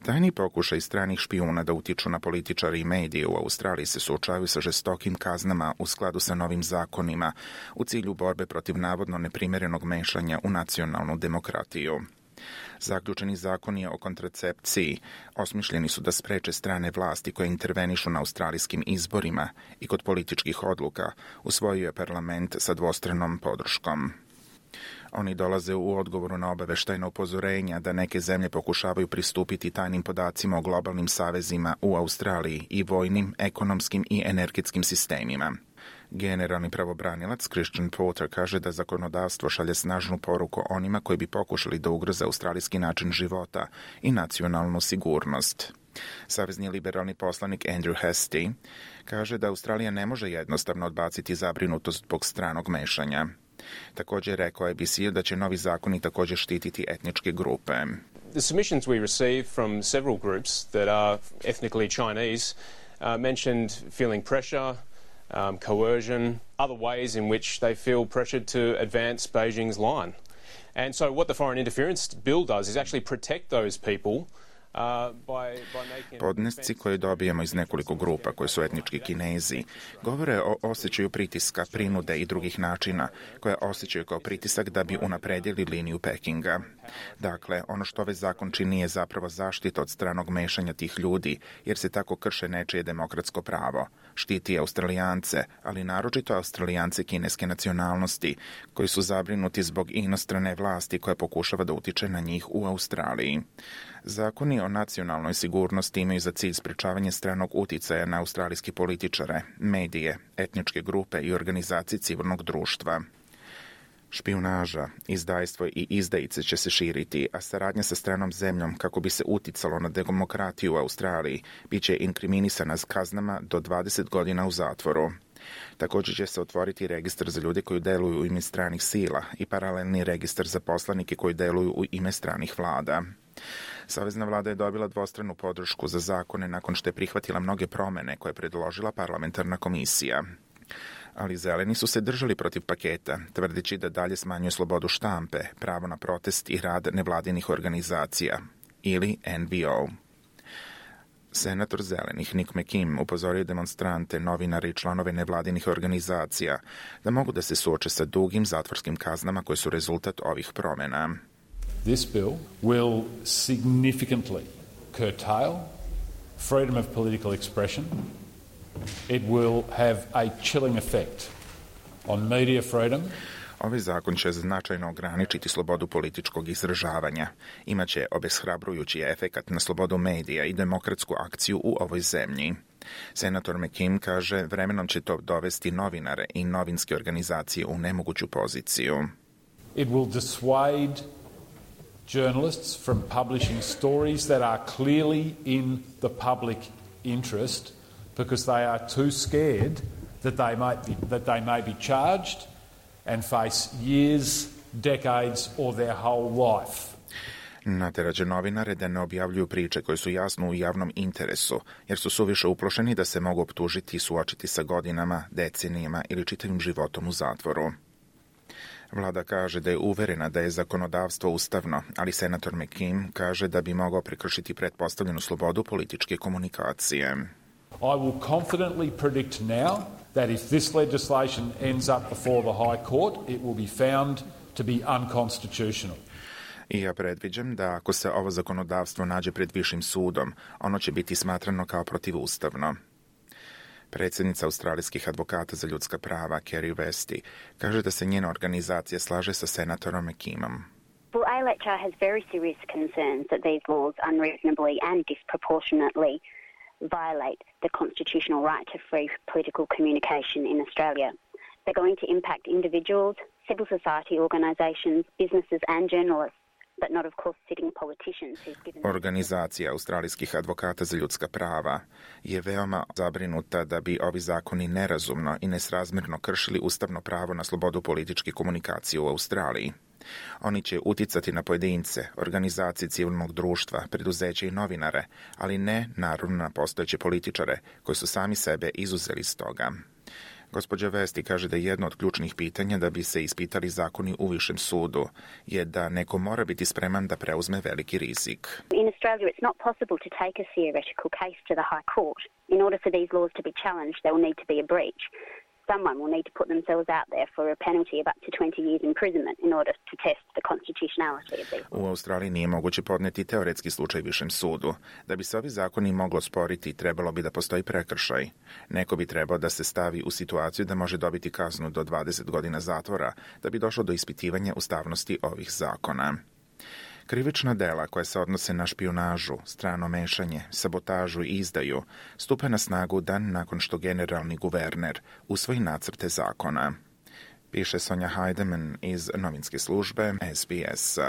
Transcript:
Tajni pokušaj stranih špijuna da utiču na političare i medije u Australiji se suočavaju sa žestokim kaznama u skladu sa novim zakonima u cilju borbe protiv navodno neprimerenog mešanja u nacionalnu demokratiju. Zaključeni zakoni o kontracepciji osmišljeni su da spreče strane vlasti koje intervenišu na australijskim izborima i kod političkih odluka, usvojio je parlament sa dvostranom podrškom. Oni dolaze u odgovoru na obaveštajna upozorenja da neke zemlje pokušavaju pristupiti tajnim podacima o globalnim savezima u Australiji i vojnim, ekonomskim i energetskim sistemima. Generalni pravobranilac Christian Porter kaže da zakonodavstvo šalje snažnu poruku onima koji bi pokušali da ugroze australijski način života i nacionalnu sigurnost. Savezni liberalni poslanik Andrew Hastie kaže da Australija ne može jednostavno odbaciti zabrinutost zbog stranog mešanja. Također je rekao ABC da će novi zakoni također štititi etničke grupe. The submissions we receive from several groups that are ethnically Chinese mentioned feeling pressure, coercion, other ways in which they feel pressured to advance Beijing's line. And so what the Foreign Interference Bill does is actually protect those people. Podnesci koje dobijemo iz nekoliko grupa koje su etnički Kinezi govore o osjećaju pritiska, prinude i drugih načina koje osjećaju kao pritisak da bi unapredili liniju Pekinga. Dakle, ono što ovaj zakon čini je zapravo zaštita od stranog mešanja tih ljudi, jer se tako krše nečije demokratsko pravo. Štiti Australijance, ali naročito Australijance kineske nacionalnosti, koji su zabrinuti zbog inostrane vlasti koja pokušava da utiče na njih u Australiji. Zakoni o nacionalnoj sigurnosti imaju za cilj sprečavanje stranog uticaja na australijske političare, medije, etničke grupe i organizacije civilnog društva. Špijunaža, izdajstvo i izdajice će se širiti, a saradnja sa stranom zemljom kako bi se uticalo na demokratiju u Australiji bit će inkriminisana s kaznama do 20 godina u zatvoru. Također će se otvoriti registar za ljude koji deluju u ime stranih sila i paralelni registar za poslanike koji deluju u ime stranih vlada. Savezna vlada je dobila dvostranu podršku za zakone nakon što je prihvatila mnoge promene koje je predložila parlamentarna komisija. Ali zeleni su se držali protiv paketa, tvrdeći da dalje smanjuje slobodu štampe, pravo na protest i rad nevladinih organizacija, ili NVO. Senator zelenih Nick McKim upozorio demonstrante, novinare i članove nevladinih organizacija da mogu da se suoče sa dugim zatvorskim kaznama koje su rezultat ovih promjena. This bill will significantly curtail freedom of political expression. It will have a chilling effect on media freedom. Ovaj zakon će značajno ograničiti slobodu političkog izražavanja. Imaće obeshrabrujući efekat na slobodu medija i demokratsku akciju u ovoj zemlji. Senator McKim kaže vremenom će to dovesti novinare i novinske organizacije u nemoguću poziciju. It will dissuade journalists from publishing stories that are clearly in the public interest because they are too scared that they may be charged and face years, decades or their whole life. Nateraće novinare da ne objavljuju priče koje su jasno u javnom interesu, jer su suviše uplošeni da se mogu optužiti i suočiti sa godinama, decenijama ili čitavim životom u zatvoru. Vlada kaže da je uverena da je zakonodavstvo ustavno, ali senator McKim kaže da bi mogao prekršiti pretpostavljenu slobodu političke komunikacije. I will confidently predict now that if this legislation ends up before the High Court, it will be found to be unconstitutional. I ja predviđam da ako se ovo zakonodavstvo nađe pred višim sudom, ono će biti smatrano kao protivustavno. Predsjednica australijskih advokata za ljudska prava, Kerry Westy, kaže da se njena organizacija slaže sa senatorom McKimom. Well, ALHR has very serious concerns that these laws unreasonably and disproportionately violate the constitutional right to free political communication in Australia. They're going to impact individuals, civil society organisations, businesses and journalists. But not, of course, sitting politicians who've given... Organizacija australijskih advokata za ljudska prava je veoma zabrinuta da bi ovi zakoni nerazumno i nesrazmjerno kršili ustavno pravo na slobodu političke komunikacije u Australiji. Oni će uticati na pojedince, organizacije civilnog društva, preduzeće i novinare, ali ne naravno na postojeće političare koji su sami sebe izuzeli iz toga. Gospođa Vesti kaže da jedno od ključnih pitanja da bi se ispitali zakoni u višem sudu je da neko mora biti spreman da preuzme veliki rizik. In Australia, it's not possible to take a theoretical case to the High Court. In order for these laws to be challenged, there will need to be a breach. Someone will need to put themselves out there for a penalty of up to 20 years imprisonment in order to test the constitutionality of these laws. U Australiji nije moguće podneti teoretski slučaj višem sudu. Da bi se ovi zakoni moglo sporiti, trebalo bi da postoji prekršaj. Neko bi trebao da se stavi u situaciju da može dobiti kaznu do 20 godina zatvora da bi došlo do ispitivanja ustavnosti ovih zakona. Krivična dela koja se odnose na špijunažu, strano mešanje, sabotažu i izdaju stupa na snagu dan nakon što generalni guverner usvoji nacrte zakona. Piše Sonja Heidemann iz novinske službe SBS.